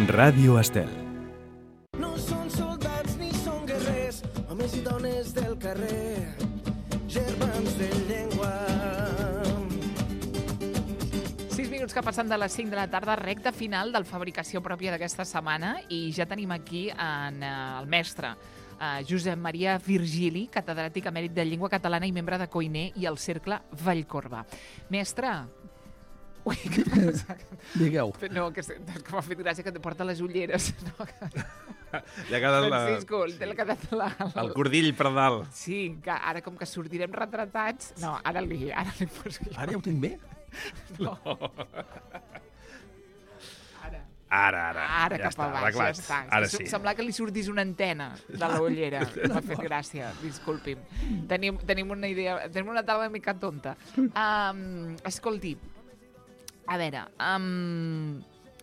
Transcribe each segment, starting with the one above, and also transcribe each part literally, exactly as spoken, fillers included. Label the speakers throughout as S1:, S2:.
S1: Ràdio Estel.
S2: No són soldats ni són guerrers, homes i dones del carrer, germans de llengua.
S3: Sis minuts que passen de les cinc de la tarda, recta final del Fabricació Pròpia d'aquesta setmana, i ja tenim aquí en, uh, el mestre uh, Josep Maria Virgili, catedràtic emèrit de Llengua Catalana i membre de Coiner i el Cercle Vallcorba. Mestre... Ui, què passa?
S4: Digueu.
S3: No, que, que m'ha fet gràcia que te porta les ulleres. No?
S5: Ja ha quedat la...
S3: Francisco, te l'ha quedat la...
S5: el cordill per dalt.
S3: Sí, que ara com que sortirem retratats... No, ara li, ara li poso jo.
S4: Ara ja ho tinc bé?
S3: No. Ara.
S5: Ara, ara.
S3: Ara
S5: ja
S3: cap
S5: està,
S3: a baix,
S5: arreglat.
S3: ja està.
S5: Ara
S3: S-
S5: sí.
S3: Sembla que li sortís una antena de la ullera. M'ha fet gràcia, disculpi'm. Tenim, tenim una idea, tenim una taula una mica tonta. Um, escolti, a veure, um,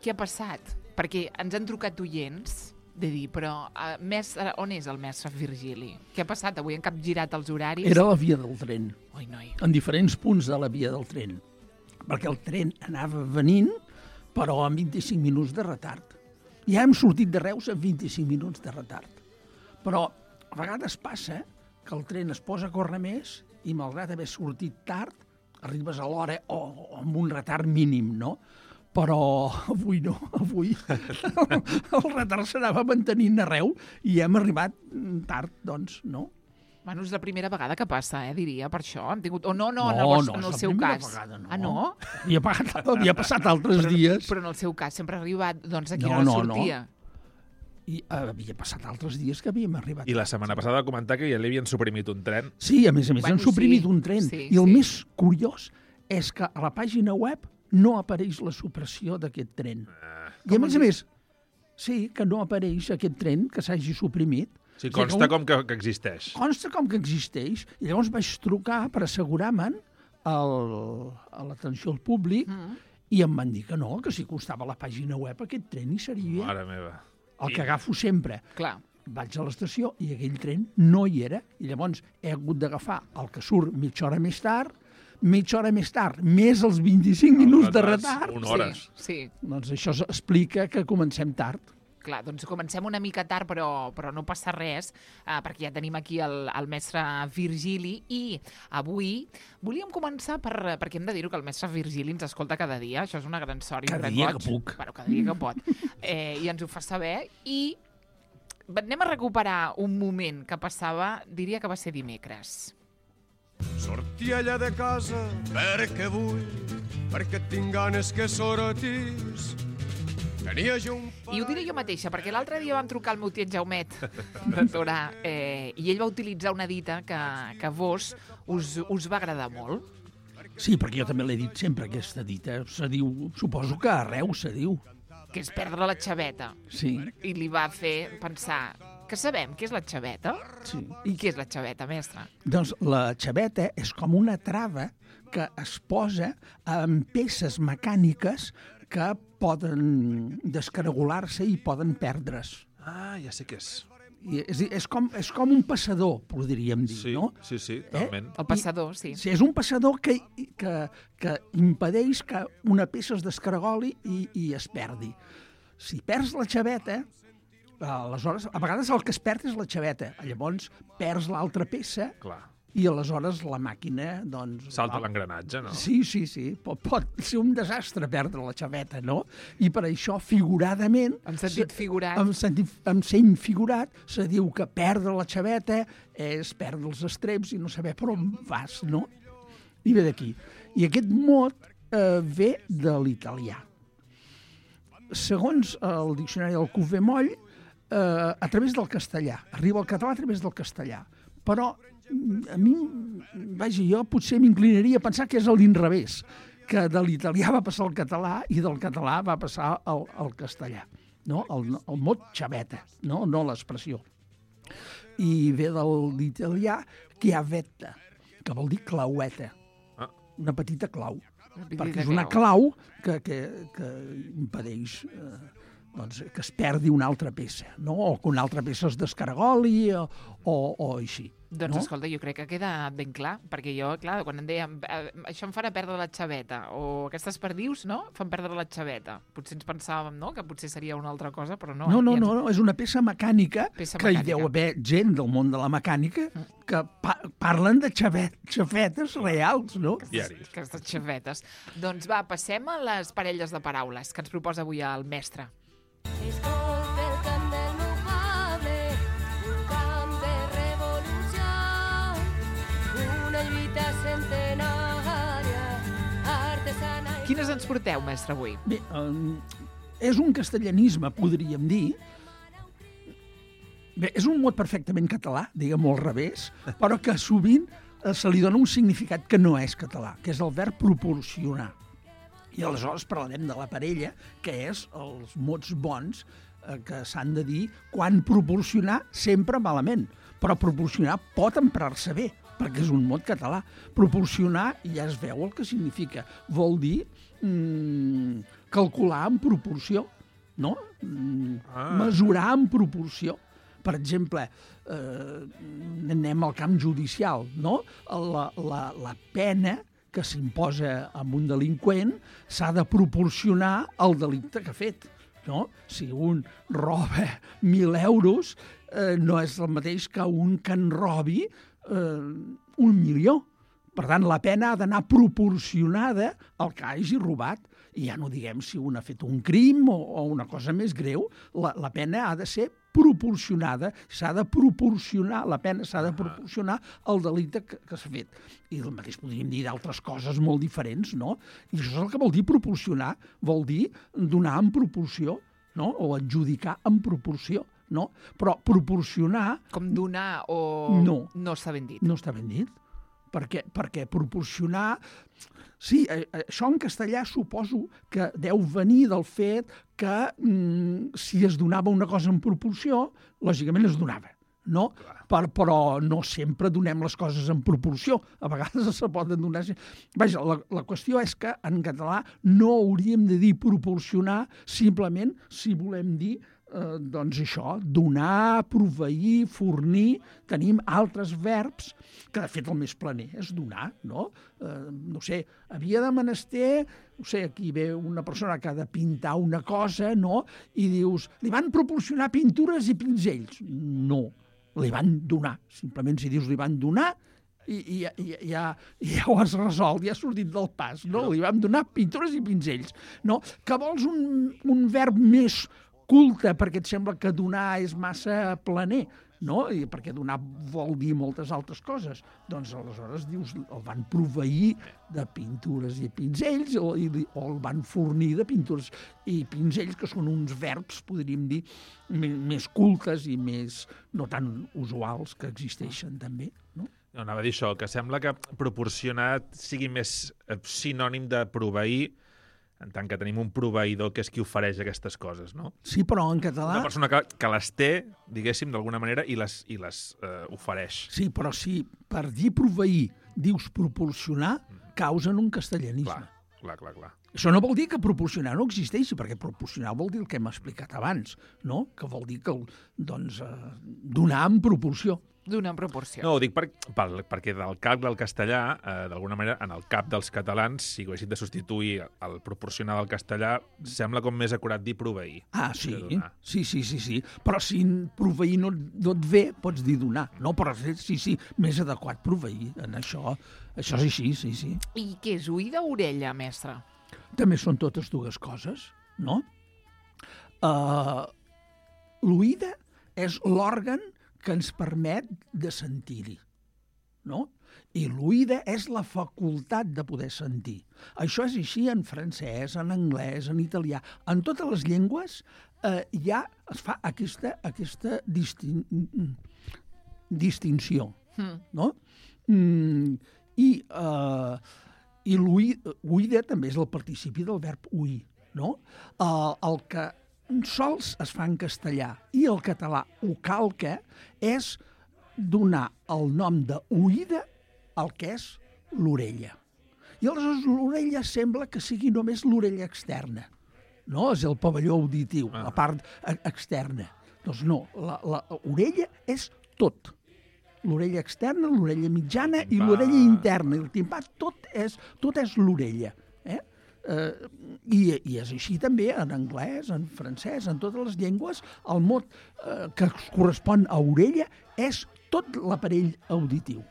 S3: què ha passat? Perquè ens han trucat oients de dir, però uh, mestre, on és el mestre Virgili? Què ha passat? Avui han capgirat els horaris?
S4: Era la via del tren,
S3: Ui, noi.
S4: en diferents punts de la via del tren, perquè el tren anava venint, però amb vint-i-cinc minuts de retard. Ja hem sortit de Reus amb vint-i-cinc minuts de retard. Però a vegades passa que el tren es posa a córrer més i, malgrat haver sortit tard, arribes a l'hora o, o amb un retard mínim, no? Però avui no, avui el, el retard s'anava mantenint arreu i hem arribat tard, doncs, no?
S3: Bueno, és la primera vegada que passa, eh, diria, per això. Han tingut... O no, no,
S4: No,
S3: en el, vos-
S4: no,
S3: en
S4: és
S3: el
S4: la
S3: seu
S4: primera
S3: cas.
S4: vegada, no.
S3: Ah, no?
S4: Havia, pagat, havia passat altres
S3: Però,
S4: dies.
S3: però en el seu cas sempre ha arribat, doncs, aquí
S4: No,
S3: no,
S4: no, no.
S3: sortia.
S4: I havia passat altres dies que havíem arribat.
S5: I la setmana passada va comentar que ja li havien suprimit un tren.
S4: Sí, a més a més,
S3: Bueno,
S4: han suprimit
S3: sí,
S4: un tren.
S3: sí,
S4: I el
S3: sí.
S4: més curiós és que a la pàgina web no apareix la supressió d'aquest tren. I a més a més, sí, que no apareix aquest tren que s'hagi suprimit.
S5: Sí,
S4: O sigui,
S5: consta
S4: que un-
S5: com que, que existeix.
S4: Consta com que existeix. I llavors vaig trucar per assegurar-me'n al- a l'atenció al públic
S3: Mm.
S4: i em van dir que no, que si costava a la pàgina web aquest tren hi seria.
S5: Mare meva.
S4: El que agafo sempre.
S3: Clar.
S4: Vaig a l'estació i aquell tren no hi era. I llavors he hagut d'agafar el que surt mitja hora més tard, mitja hora més tard, més els vint-i-cinc minuts de
S5: retards,
S4: retard.
S5: una hora. hores.
S3: Sí, sí.
S4: Doncs això explica que comencem tard.
S3: Clar, doncs comencem una mica tard, però, però no passa res, eh, perquè ja tenim aquí el, el mestre Virgili, i avui volíem començar per, perquè hem de dir-ho que el mestre Virgili ens escolta cada dia, això és una gran sort. i un
S4: Cada
S3: gran
S4: dia
S3: goig.
S4: que puc.
S3: Bueno, cada dia que pot. Eh, I ens ho fa saber, i anem a recuperar un moment que passava, diria que va ser dimecres.
S2: Sortia allà de casa perquè vull, perquè tinc ganes que sortis. Tenia jo un...
S3: I ho diré jo mateixa, perquè l'altre dia vam trucar al meu tiet Jaumet de Torà, eh, i ell va utilitzar una dita que, que a vos us, us va agradar molt.
S4: Sí, perquè jo també l'he dit sempre, aquesta dita. Se diu, suposo que arreu se diu.
S3: Que és perdre la xaveta.
S4: Sí,
S3: I li va fer pensar que sabem què és la xaveta?
S4: sí.
S3: I què és la xaveta, mestre?
S4: Doncs la xaveta és com una trava que es posa amb peces mecàniques que poden descaragolar-se i poden perdre's.
S5: Ah, ja sé què és.
S4: I és, a dir, és, com, és com un passador, podríem dir,
S5: Sí,
S4: no?
S5: sí, sí, talment.
S3: El passador, sí.
S4: Sí, és un passador que, que, que impedeix que una peça es descaragoli i, i es perdi. Si perds la xaveta, aleshores, a vegades el que es perd és la xaveta. Llavors perds l'altra peça
S5: Clar.
S4: i aleshores la màquina, doncs...
S5: Salta
S4: va-
S5: l'engranatge, no?
S4: Sí, sí, sí. Pot, pot ser un desastre perdre la xaveta, no? I per això, figuradament...
S3: En sentit
S4: se-
S3: figurat.
S4: En sentit, en sent figurat, se diu que perdre la xaveta és perdre els estreps i no saber per on vas, no? I ve d'aquí. I aquest mot eh, ve de l'italià. Segons el diccionari del Cuvé Moll, eh, a través del castellà. Arriba al català a través del castellà. Però a mi, vaja, jo potser m'inclinaria a pensar que és a l'inrevés, que de l'italià va passar al català i del català va passar al, al castellà, no? El, el mot xaveta, no, no l'expressió. I ve de l'italià chiavetta, que vol dir claueta,
S5: Ah.
S4: una petita clau,
S3: Una petita
S4: perquè és una
S3: clau.
S4: clau que, que, que impedeix eh, doncs, que es perdi una altra peça, no? O que una altra peça es descaragoli o, o, o així.
S3: Doncs
S4: no?
S3: escolta, jo crec que queda ben clar, perquè jo, clar, quan em dèiem eh, això em farà perdre la xaveta, o aquestes perdius, no?, fan perdre la xaveta. Potser ens pensàvem, no?, que potser seria una altra cosa, però no.
S4: No, no,
S3: eh?
S4: no, no, és una peça mecànica
S3: Peça
S4: que
S3: mecànica.
S4: hi deu haver gent del món de la mecànica que pa parlen de xavet, xafetes reals, no?
S5: Diaris.
S3: Aquestes xavetes. Doncs va, passem a les parelles de paraules que ens proposa avui el mestre.
S1: Escolta el cant del meu poble, un camp de revolució, una lluita centenària, artesana... i-
S3: Quines ens porteu, mestre, avui?
S4: Bé, eh, és un castellanisme, podríem dir. Bé, és un mot perfectament català, diguem-ho al revés, però que sovint eh, se li dona un significat que no és català, que és el verb proporcionar. I aleshores parlarem de la parella, que és els mots bons eh, que s'han de dir quan proporcionar sempre malament. Però proporcionar pot emprar-se bé, perquè és un mot català. Proporcionar ja es veu el que significa. Vol dir mm, calcular en proporció, no? Mm,
S5: Ah.
S4: mesurar en proporció. Per exemple, eh, anem al camp judicial, no? La, la, la pena que s'imposa a un delinqüent s'ha de proporcionar al delicte que ha fet. No? Si un roba mil euros, eh, no és el mateix que un que en robi eh, un milió. Per tant, la pena ha d'anar proporcionada al que hagi robat. I ja no diguem si un ha fet un crim o, o una cosa més greu, la, la pena ha de ser proporcionada, s'ha de proporcionar, la pena s'ha de proporcionar al delicte que, que s'ha fet. I el mateix podríem dir d'altres coses molt diferents, no? I això és el que vol dir proporcionar, vol dir donar en proporció, no? O adjudicar en proporció, no? Però proporcionar
S3: Com donar o...
S4: No.
S3: No està ben dit.
S4: no està ben dit, perquè, perquè proporcionar... Sí, eh, això en castellà suposo que deu venir del fet que mm, si es donava una cosa en proporció, lògicament es donava, no? Per, però no sempre donem les coses en proporció. A vegades se poden donar... Vaja, la, la qüestió és que en català no hauríem de dir proporcionar simplement si volem dir eh, doncs això, donar, proveir, fornir. Tenim altres verbs que de fet el més planer és donar, no? Eh, no sé, havia de menester, no sé, aquí ve una persona que ha de pintar una cosa, no? I dius, li van proporcionar pintures i pinzells. No, li van donar. Simplement si dius li van donar, i, i, i, ja, ja ho has resolt, ja has sortit del pas, no? Li vam donar pintures i pinzells, no? Que vols un, un verb més culte perquè et sembla que donar és massa planer, no? I perquè donar vol dir moltes altres coses. Doncs aleshores dius, el van proveir de pintures i pinzells o, i, o el van fornir de pintures i pinzells, que són uns verbs, podríem dir, més cultes i més no tan usuals que existeixen també, no?
S5: No, anava a dir això, que sembla que proporcionar sigui més eh, sinònim de proveir, en tant que tenim un proveïdor que és qui ofereix aquestes coses, no?
S4: Sí, però en català...
S5: Una persona que, que les té, diguéssim, d'alguna manera, i les, i les eh, ofereix.
S4: Sí, però si per dir proveir dius proporcionar, causen un castellanisme.
S5: Clar, clar, clar, clar.
S4: Això no vol dir que proporcionar no existeixi, perquè proporcionar vol dir el que hem explicat abans, no? Que vol dir que, doncs, eh, donar en proporció.
S3: Donar en proporció.
S5: No, ho dic per, per, perquè del cap del castellà, eh, d'alguna manera, en el cap dels catalans, si haguessin de substituir el proporcionar del castellà, sembla com més acurat dir proveir.
S4: Ah, sí,
S5: que donar.
S4: sí, sí, sí, sí. Però si proveir no, no et ve, pots dir donar. No, però sí, sí, més adequat proveir. En això, això és així, sí, sí.
S3: I què és oïda o orella, mestre?
S4: També són totes dues coses, no? Uh, L'oïda és l'òrgan que ens permet de sentir-hi, no? I l'oïda és la facultat de poder sentir. Això és així en francès, en anglès, en italià. En totes les llengües eh, ja es fa aquesta, aquesta distin... distinció,
S3: Mm.
S4: no? Mm, I, eh, i l'oïda també és el participi del verb oir, no? Eh, el que sols es fa en castellà i el català ho calca és donar el nom d'oïda al que és l'orella. I aleshores l'orella sembla que sigui només l'orella externa, no? És el pavelló auditiu,
S5: Ah.
S4: la part e- externa. Doncs no, la, la orella és tot. L'orella externa, l'orella mitjana
S5: El
S4: i
S5: timpà.
S4: l'orella interna. I el timpà, tot és, tot és l'orella. Eh? Eh, i, I és així també en anglès, en francès, en totes les llengües. El mot eh, que correspon a orella és tot l'aparell auditiu.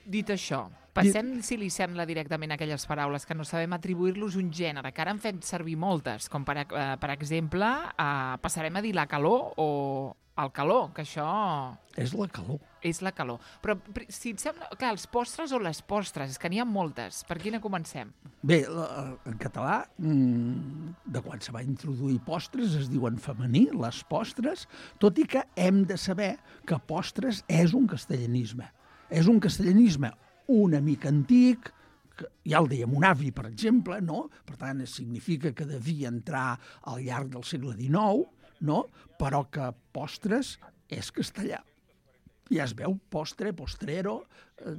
S3: Dit això, passem, si li sembla, directament a aquelles paraules que no sabem atribuir-los un gènere, que ara han fet servir moltes, com per, eh, per exemple, eh, passarem a dir la calor o el calor, que això
S4: És la calor.
S3: és la calor. Però, pri- si et sembla, clar, els postres o les postres, és que n'hi ha moltes. Per quina comencem?
S4: Bé, la- en català, mm, de quan se va introduir postres, es diuen femení, les postres, tot i que hem de saber que postres és un castellanisme. És un castellanisme una mica antic, que ja el deia mon avi, per exemple, no? Per tant, significa que devia entrar al llarg del segle dinou, no? Però que postres és castellà. Ja es veu postre, postrero, eh,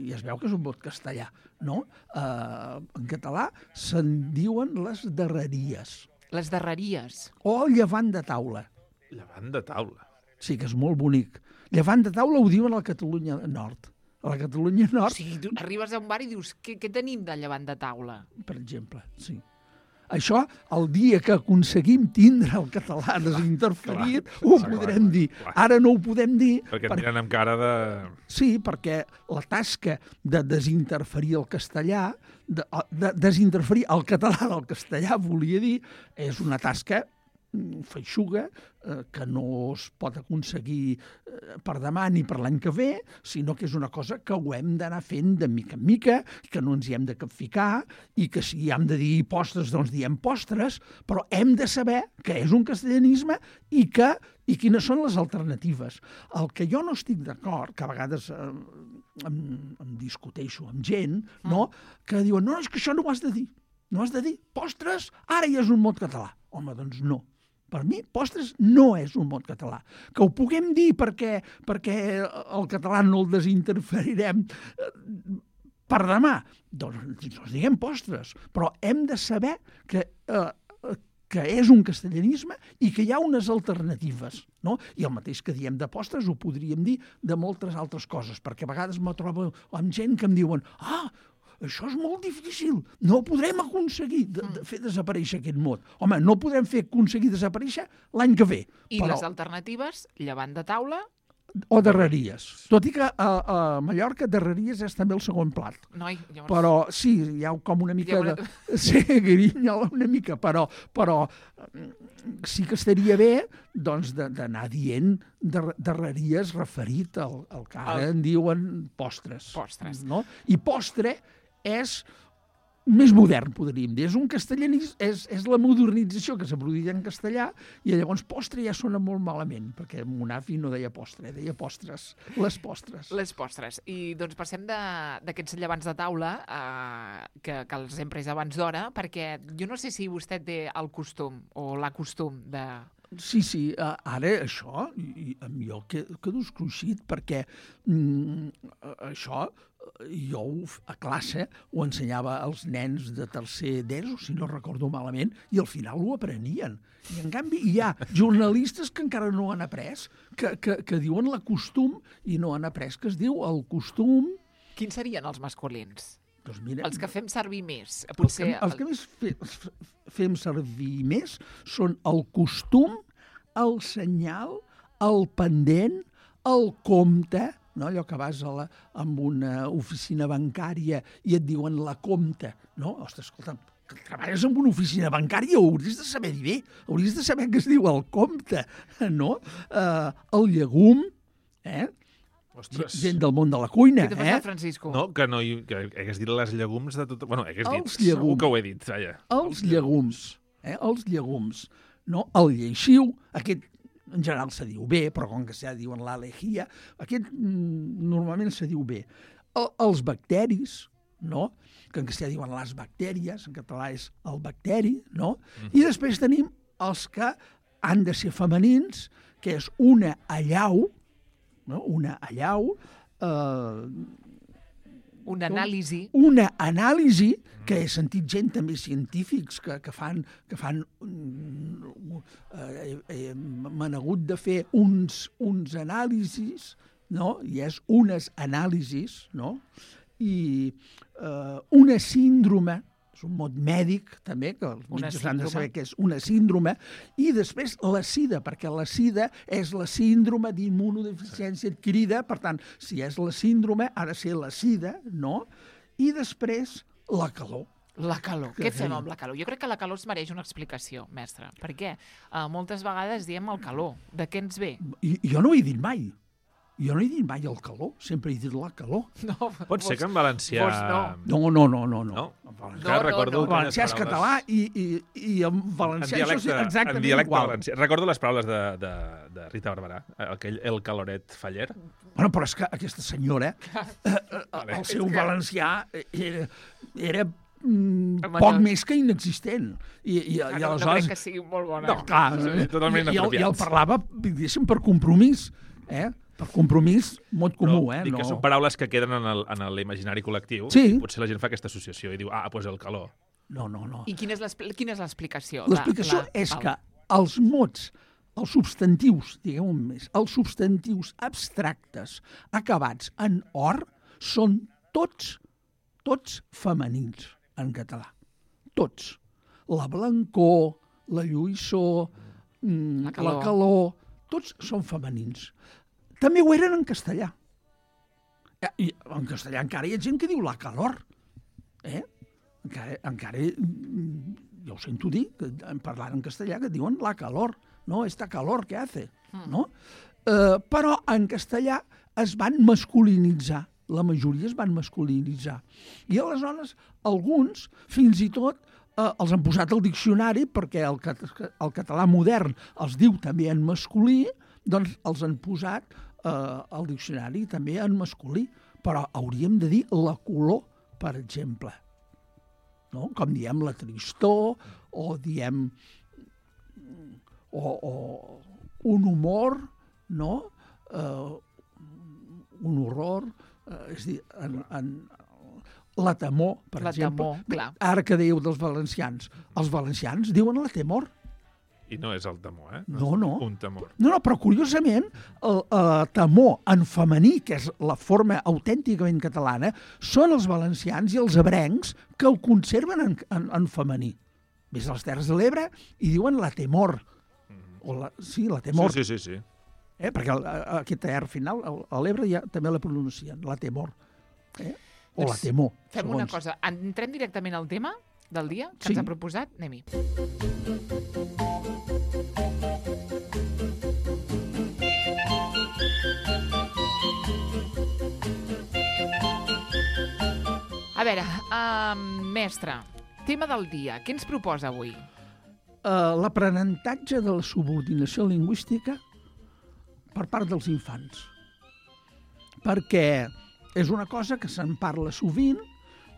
S4: i es veu que és un mot castellà, no? Eh, en català se'n diuen les darreries,
S3: Les darreries.
S4: o el llevant de taula.
S5: Llevant de taula.
S4: Sí, que és molt bonic. Llevant de taula ho diuen a la Catalunya Nord. A la Catalunya
S3: O
S4: Nord,
S3: sigui, tu arribes a un bar i dius, què, què tenim de llevant de taula?
S4: per exemple, sí. Això, el dia que aconseguim tindre el català desinterferit,
S5: Clar,
S4: ho
S5: clar,
S4: podrem dir.
S5: clar.
S4: Ara no ho podem dir.
S5: Perquè et
S4: per-
S5: miren amb cara de...
S4: Sí, perquè la tasca de desinterferir el castellà, de, de desinterferir el català del castellà, volia dir, és una tasca mm, feixuga, eh, que no es pot aconseguir eh, per demà ni per l'any que ve, sinó que és una cosa que ho hem d'anar fent de mica en mica, que no ens hi hem de capficar, i que si hem de dir postres, doncs diem postres, però hem de saber que és un castellanisme i que i quines són les alternatives. El que jo no estic d'acord, que a vegades eh, em, em discuteixo amb gent, no? Que diuen, no, és que això no ho has de dir. No has de dir postres, ara ja és un mot català. Home, doncs no. Per mi, postres no és un mot català. Que ho puguem dir perquè, perquè el català no el desinterferirem eh, per demà. Doncs, doncs diguem postres. Però hem de saber que, eh, que és un castellanisme i que hi ha unes alternatives. No? I el mateix que diem de postres ho podríem dir de moltes altres coses, perquè a vegades me trobo amb gent que em diuen ah, això és molt difícil, no podrem aconseguir de, de fer desaparèixer aquest mot. Home, no podrem fer aconseguir desaparèixer l'any que ve.
S3: I
S4: però,
S3: les alternatives, llevant de taula,
S4: o darreries. Tot i que a, a Mallorca darreries és també el segon plat.
S3: noi, llavors...
S4: Però sí, hi ha com una mica
S3: Hi ha
S4: de... Sí, grinyola una mica, però, però mm, sí que estaria bé doncs, de- d'anar dient dar darreries referit al, al que ara
S3: Al-
S4: en diuen postres.
S3: Postres.
S4: No? I postre és més modern, podríem dir. És un castellanisme, és, és la modernització que s'ha produït en castellà i llavors postre ja sona molt malament, perquè mon avi no deia postre, deia postres, les postres.
S3: Les postres. I doncs passem de- d'aquests llevants de taula eh, que, que els hem pres abans d'hora, perquè jo no sé si vostè té el costum o la costum de...
S4: Sí, sí, uh, ara això, i, i amb jo que- quedo escruixit, perquè mm, eh, això eh, jo ho f- a classe ho ensenyava als nens de tercer d'ESO, si no recordo malament, i al final ho aprenien. I en canvi hi ha jornalistes que encara no han après, que, que, que diuen la costum i no han après, que es diu el costum...
S3: Quins serien els masculins?
S4: Doncs mira,
S3: Els que fem servir més.
S4: Els
S3: Potser...
S4: que, els que més fe, f- fem servir més són el costum, el senyal, el pendent, el compte, no? Allò que vas a la, amb una oficina bancària i et diuen la compte, no? Ostres, escolta, que treballes en una oficina bancària, ho hauries de saber dir bé, hauries de saber que es diu el compte, no? Uh, el llegum, eh?
S5: Ostres.
S4: Gent del món de la cuina,
S3: Què t'ha
S4: eh?
S3: passat, Francisco?
S5: No, que no hi, que hagués dit les llegums de tot... Bueno, hagués dit,
S4: Els llegums.
S5: segur que ho he dit, vaja.
S4: Els llegums, eh? Els llegums, no? El lleixiu, aquest en general se diu bé, però com que se diuen l'alejia, aquest mm, normalment se diu bé. El, els bacteris, no? Que en castellà diuen les bactèries, en català és el bacteri, no? Mm. I després tenim els que han de ser femenins, que és una allau, no? Una allau, eh,
S3: Una anàlisi.
S4: Una anàlisi que he sentit gent també científics que, que fan... Que fan eh, eh, m'han hagut de fer uns, uns anàlisis, no? I és unes anàlisis, no? I eh, una síndrome, és un mot mèdic també, que els metges han de saber que és una síndrome, i després la SIDA, perquè la SIDA és la síndrome d'immunodeficiència adquirida, per tant, si és la síndrome, ha de ser la SIDA, no? I després la calor.
S3: La calor. Què fem amb la calor? Jo crec que la calor es mereix una explicació, mestre. Per què? Uh, moltes vegades diem el calor. De què ens ve?
S4: I, jo no ho he dit mai. Jo no he dit mai el calor, sempre he dit la calor.
S3: No,
S5: Pot
S3: vos,
S5: ser que en valencià...
S3: no.
S4: No, no, no, no. no.
S5: No?
S3: No, no,
S5: recordo
S3: no.
S4: El valencià és català i, i, i en valencià
S5: en dialecte,
S4: això és exactament
S5: en dialecte
S4: igual.
S5: valencià. Recordo les paraules de, de, de Rita Barberà, aquell el caloret faller.
S4: Bueno, però és que aquesta senyora, eh, eh, el seu valencià era, era mm, poc més que inexistent. I, i,
S3: Ah,
S4: i
S3: no,
S4: aleshores...
S3: no crec que sigui molt bona.
S4: No, clar,
S5: Sí, totalment
S4: i, i, el, i el
S5: inapropiats.
S4: parlava, diguéssim, per compromís, eh? Per compromís, mot comú,
S5: Però
S4: eh?
S5: dic que són paraules que queden en el- en l'imaginari col·lectiu.
S4: Sí.
S5: I potser la gent fa aquesta associació i diu, ah, doncs el calor.
S4: No, no, no.
S3: I quina és l'expl- quina és l'explicació?
S4: L'explicació
S3: La- la-
S4: és
S3: val.
S4: que els mots, els substantius, diguem-ho més, els substantius abstractes acabats en or són tots, tots femenins en català. Tots. La blancor, la lluïssor, mm,
S3: La calor.
S4: la calor, tots són femenins. També ho eren en castellà. Eh, I en castellà encara hi ha gent que diu la calor. Eh? Encara, encara mm, jo ho sento dir, que en parlant en castellà, que diuen la calor, no? Esta calor que hace, no? Eh, però en castellà es van masculinitzar, la majoria es van masculinitzar. I aleshores alguns, fins i tot, eh, els han posat al diccionari perquè el, cat el català modern els diu també en masculí, doncs els han posat eh, al diccionari també en masculí, però hauríem de dir la color, per exemple. No? Com diem la tristor, o diem o, o un humor, no? Eh, un horror, eh, és a dir, en, en, la temor, per
S3: La
S4: exemple.
S3: temor, clar.
S4: Ara que dèieu dels valencians, els valencians diuen la temor.
S5: I no és el temor, eh?
S4: No,
S5: és
S4: no.
S5: Un temor.
S4: No, no, però curiosament, el, el temor en femení, que és la forma autènticament catalana, són els valencians i els ebrencs que el conserven en, en, en femení. Ves a les Terres de l'Ebre i diuen la temor. O la, sí, la temor.
S5: Sí, sí, sí. sí.
S4: Eh? Perquè el, aquest R final, el, a l'Ebre ja també la pronuncien, la temor. Eh? O la temor.
S3: Fem
S4: segons.
S3: una cosa, entrem directament al tema del dia que
S4: Sí.
S3: ens ha proposat. Anem-hi. A veure, uh, mestre, tema del dia. Què ens proposa avui?
S4: Uh, l'aprenentatge de la subordinació lingüística per part dels infants. Perquè és una cosa que se'n parla sovint,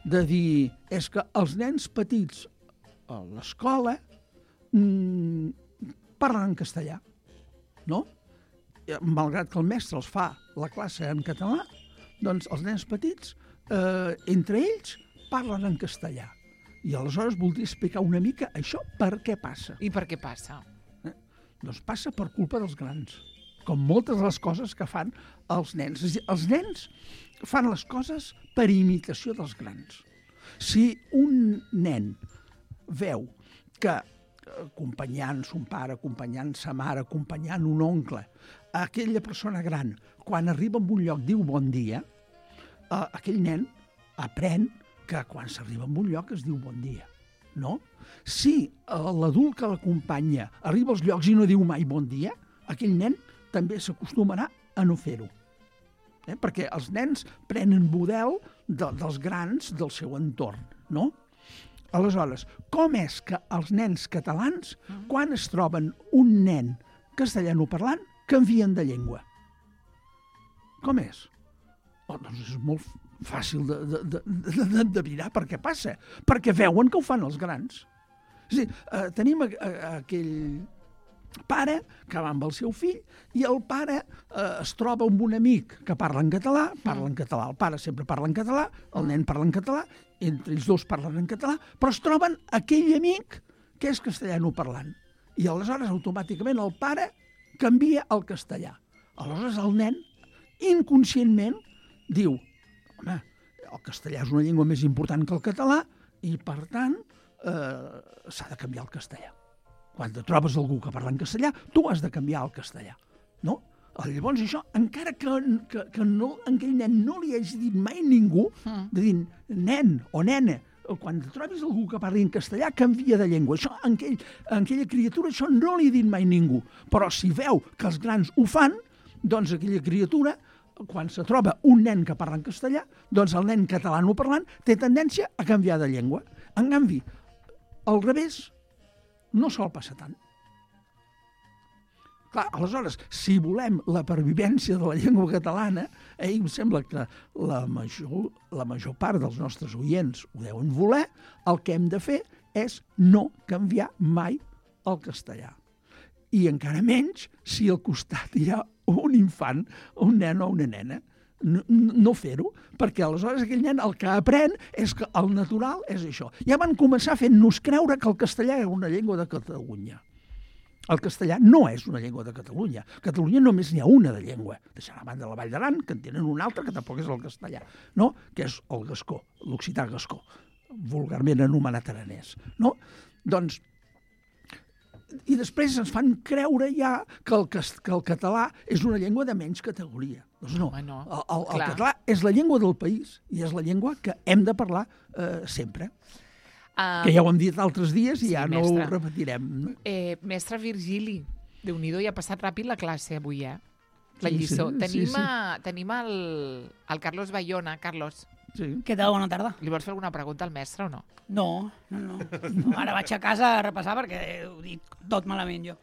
S4: de dir, és que els nens petits a l'escola mmm, parlen en castellà, no? Malgrat que el mestre els fa la classe en català, doncs els nens petits, eh, entre ells, parlen en castellà. I aleshores voldria explicar una mica això per què passa.
S3: I per què passa?
S4: Eh? Doncs passa per culpa dels grans, com moltes de les coses que fan els nens. És a dir, els nens fan les coses per imitació dels grans. Si un nen veu que acompanyant son pare, acompanyant sa mare, acompanyant un oncle, aquella persona gran, quan arriba a un lloc diu bon dia, eh, aquell nen aprèn que quan s'arriba a un lloc es diu bon dia, no? Si eh, l'adult que l'acompanya arriba als llocs i no diu mai bon dia, aquell nen també s'acostumarà a no fer-ho. Eh? Perquè els nens prenen model de, dels grans del seu entorn, no? Aleshores, com és que els nens catalans, quan es troben un nen castellanoparlant, canvien de llengua? Com és? Oh, doncs és molt fàcil de, de, de, de, d'endevinar per què passa. Perquè veuen que ho fan els grans. És a dir, eh, tenim a, a, aquell, pare que va amb el seu fill i el pare eh, es troba amb un amic que parla en català, parla en català, el pare sempre parla en català, el nen parla en català, entre ells dos parlen en català, però es troben aquell amic que és castellanoparlant. I aleshores automàticament el pare canvia al castellà. Aleshores el nen inconscientment diu, home, el castellà és una llengua més important que el català i per tant eh, s'ha de canviar el castellà. Quan te trobes algú que parla en castellà, tu has de canviar al castellà, no? Llavors això, encara que, que, que no, aquell nen no li hagi dit mai ningú, mm. de dir, nen o nena, quan te trobis algú que parli en castellà, canvia de llengua. Això, en, aquell, en aquella criatura, això no li ha dit mai ningú. Però si veu que els grans ho fan, doncs aquella criatura, quan se troba un nen que parla en castellà, doncs el nen catalanoparlant té tendència a canviar de llengua. En canvi, al revés, no sol passar tant. Clar, aleshores, si volem la pervivència de la llengua catalana, eh, em sembla que la major, la major part dels nostres oients ho deuen voler, el que hem de fer és no canviar mai el castellà. I encara menys si al costat hi ha un infant, un nen o una nena. No, no fer-ho, perquè aleshores aquell nen el que aprèn és que el natural és això. Ja van començar fent-nos creure que el castellà era una llengua de Catalunya. El castellà no és una llengua de Catalunya. A Catalunya només n'hi ha una de llengua. Deixant a banda la Vall d'Aran, que en tenen una altra, que tampoc és el castellà, no? Que és el gascó, l'occità gascó, vulgarment anomenat aranès. No? Doncs, i després ens fan creure ja que el, que el català és una llengua de menys categoria. Doncs no,
S3: Home, no.
S4: El, el, el català és la llengua del país i és la llengua que hem de parlar eh, sempre. Uh, que ja ho hem dit altres dies i
S3: sí,
S4: ja no
S3: mestre.
S4: ho repetirem.
S3: Eh, mestre Virgili, Déu-n'hi-do, ja ha passat ràpid la classe avui, eh? La
S4: Sí,
S3: lliçó.
S4: sí,
S3: tenim,
S4: sí, sí.
S3: A, tenim el, el Carlos Bayona. Carlos,
S4: Sí.
S6: Què tal? Bona tarda.
S3: li vols fer alguna pregunta al mestre o no?
S6: No, no, no. no ara vaig a casa a repassar perquè ho dic tot malament jo.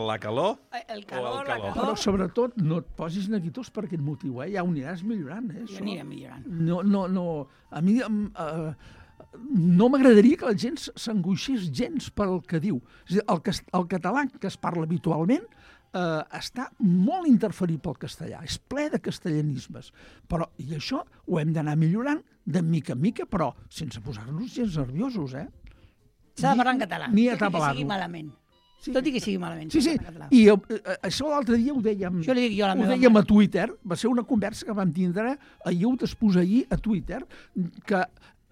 S5: La calor?
S6: El
S5: O
S6: calor,
S5: el
S6: la
S5: calor.
S4: Però
S6: calor...
S4: sobretot no et posis neguitós per aquest motiu, eh? Ja ho aniràs millorant, eh?
S6: Ja
S4: això.
S6: anirem millorant.
S4: No, no, no. A mi em, eh, no m'agradaria que la gent s'angoixés gens pel que diu. És a dir, el, cas- el català que es parla habitualment eh, està molt interferit pel castellà. És ple de castellanismes. Però, i això ho hem d'anar millorant de mica en mica, però sense posar-nos gens nerviosos, eh?
S6: S'ha de parlar en català.
S4: Ni
S6: tot i que
S4: atabalar-lo.
S6: sigui malament.
S4: Sí.
S6: Tot i que sigui malament.
S4: Sí,
S6: s'ha
S4: sí,
S6: de parlar en català.
S4: i eh, això l'altre dia ho dèiem,
S6: Això li dic jo a la
S4: ho
S6: meva
S4: dèiem
S6: mare.
S4: a Twitter, va ser una conversa que vam tindre ahir o després ahir a Twitter, que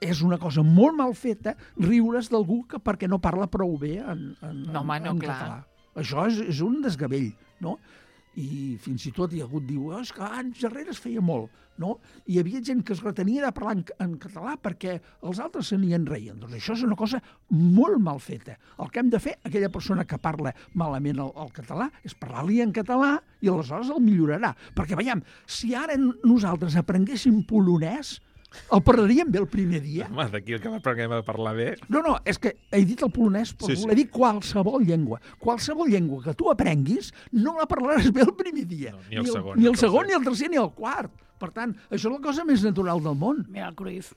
S4: és una cosa molt mal feta riure's d'algú que perquè no parla prou bé en, en,
S3: No, home, no,
S4: en
S3: clar.
S4: català. Això és, és un desgavell, no? I fins i tot hi ha hagut diu, oh, és que anys darrere es feia molt, no? Hi havia gent que es retenia de parlar en, en català perquè els altres se n'hi enreien. Doncs això és una cosa molt mal feta. El que hem de fer, aquella persona que parla malament el, el català, és parlar-li en català i aleshores el millorarà. Perquè, veiem, si ara nosaltres aprenguéssim polonès, el parlaríem bé el primer dia.
S5: Home, d'aquí el que m'aprenguem a parlar bé...
S4: No, no, és que he dit el polonès per
S5: Sí,
S4: sí,
S5: sí.
S4: voler dir qualsevol llengua. Qualsevol llengua que tu aprenguis no la parlaràs bé el primer dia.
S5: No, ni el segon,
S4: ni
S5: ni
S4: el
S5: el
S4: segon,
S5: tercer.
S4: ni el tercer, ni el quart. Per tant, això és la cosa més natural del món.
S6: Mira el Cruyff.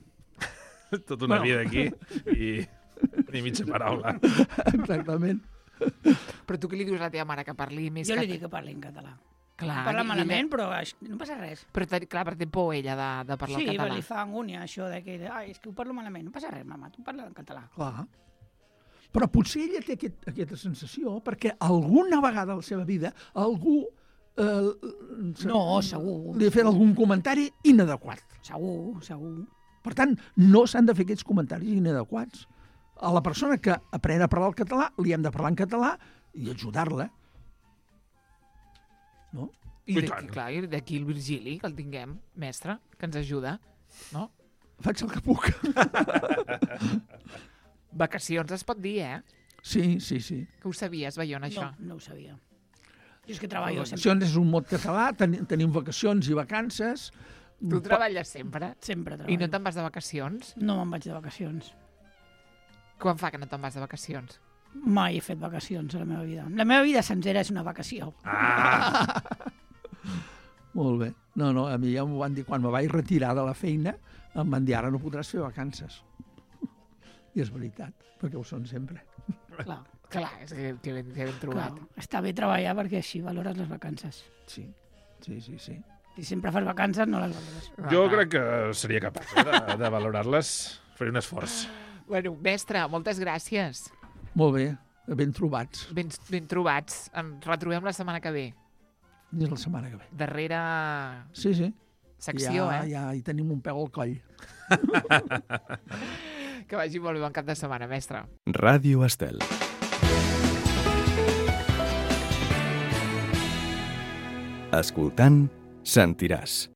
S5: Tota una
S4: Bueno.
S5: vida aquí i ni mitja paraula.
S4: Exactament.
S3: Però tu què li dius a la teva mare que parli més
S6: Jo li
S3: català?
S6: dic que parli en català.
S3: Clar,
S6: Parla
S3: i- i
S6: malament,
S3: ella-
S6: però això- no passa res.
S3: Però, te- clar, perquè té por ella de, de parlar
S6: Sí,
S3: el
S6: però
S3: català.
S6: li fa angúnia això de que ai, és que ho parlo malament. No passa res, mama, tu parla en català.
S4: Clar. Però potser ella té aquest, aquesta sensació perquè alguna vegada a la seva vida algú eh, se-
S6: No, segur.
S4: li ha fet algun comentari inadequat.
S6: Segur, segur.
S4: Per tant, no s'han de fer aquests comentaris inadequats. A la persona que aprèn a parlar el català li hem de parlar en català i ajudar-la. No?
S3: I
S5: I
S3: d'aquí,
S5: tant.
S3: clar, i d'aquí el Virgili, que el tinguem, mestre, que ens ajuda, no?
S4: Faig el que puc.
S3: Vacacions es pot dir, eh?
S4: Sí, sí, sí.
S3: Que ho sabies, Bayona, això?
S6: No, no ho sabia. Jo és que treballo sempre.
S4: Vacacions és un mot català, ten tenim vacacions i vacances.
S3: Tu treballes sempre?
S6: Sempre
S3: I
S6: treballo.
S3: no te'n vas de vacacions?
S6: No me'n vaig de vacacions.
S3: Quan fa que no te'n vas de vacacions?
S6: Mai he fet vacacions a la meva vida. La meva vida sencera és una vacació.
S5: Ah!
S4: Molt bé. No, no, a mi ja m'ho van dir quan me vaig retirar de la feina, em van dir, ara no podràs fer vacances. I és veritat, perquè ho són sempre.
S6: Clar.
S3: Clar, és que, que, ben, que ben trobat.
S6: Clar, està bé treballar perquè així valores les vacances.
S4: Sí, sí, sí, sí.
S6: Si sempre fas vacances, no les valores.
S5: Jo crec que seria capaç eh, de, de valorar-les. Faré un esforç.
S3: Bueno, mestre, moltes gràcies.
S4: Molt bé, ben trobats.
S3: Ben, ben trobats. Ens retrobem la setmana que ve.
S4: Fins la setmana que ve.
S3: Darrera
S4: Sí, sí.
S3: secció,
S4: ja,
S3: eh?
S4: Ja hi tenim un peu al coll.
S3: Que vagi molt bé, bon cap de setmana, mestre.
S7: Ràdio Estel. Escoltant, sentiràs.